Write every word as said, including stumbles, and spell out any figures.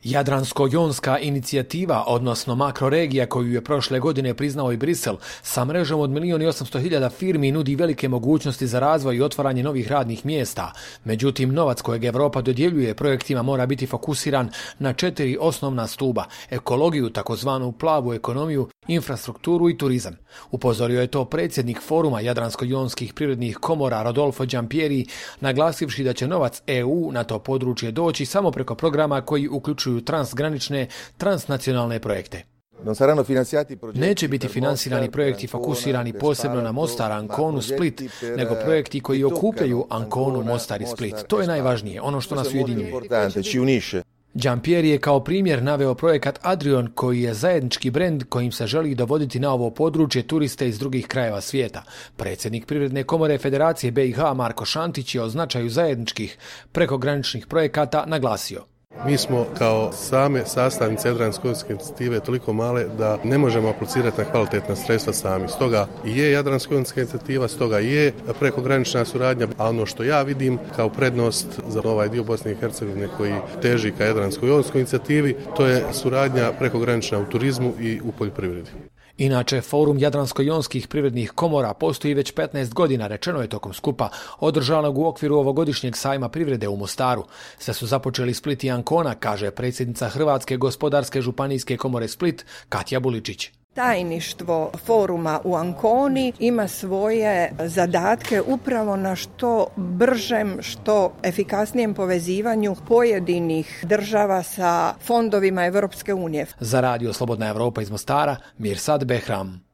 Jadransko-jonska inicijativa, odnosno makroregija koju je prošle godine priznao i Brisel, sa mrežom od milijun i osamsto hiljada firmi nudi velike mogućnosti za razvoj i otvaranje novih radnih mjesta. Međutim, novac kojeg Evropa dodjeljuje projektima mora biti fokusiran na četiri osnovna stuba: ekologiju, takozvanu plavu ekonomiju, infrastrukturu i turizam. Upozorio je to predsjednik foruma Jadransko-jonskih privrednih komora Rodolfo Giampieri, naglasivši da će novac E U na to područje doći samo preko programa koji uključuju transgranične, transnacionalne projekte. Neće biti finansirani projekti fokusirani posebno na Mostar, Anconu, Split, nego projekti koji okupljaju Anconu, Mostar i Split. To je najvažnije, ono što nas ujedinjuje. Giampieri je kao primjer naveo projekat Adrion, koji je zajednički brend kojim se želi dovoditi na ovo područje turiste iz drugih krajeva svijeta. Predsjednik Privredne komore Federacije B i H Marko Šantić je o značaju zajedničkih prekograničnih projekata naglasio. Mi smo kao same sastavnice Jadransko-jonske inicijative toliko male da ne možemo aplicirati na kvalitetna sredstva sami. Stoga i je Jadransko-jonska inicijativa, stoga i je prekogranična suradnja, a ono što ja vidim kao prednost za ovaj dio Bosne i Hercegovine koji teži ka Jadransko-jonskoj inicijativi, to je suradnja prekogranična u turizmu i u poljoprivredi. Inače, forum Jadransko-jonskih privrednih komora postoji već petnaest godina, rečeno je tokom skupa održanog u okviru ovogodišnjeg sajma privrede u Mostaru. Sve su započeli Split i Ancona, kaže predsjednica Hrvatske gospodarske županijske komore Split, Katja Buličić. Tajništvo foruma u Anconi ima svoje zadatke upravo na što bržem, što efikasnijem povezivanju pojedinih država sa fondovima Europske unije. Za radio Slobodna Evropa iz Mostara, Mirsad Behram.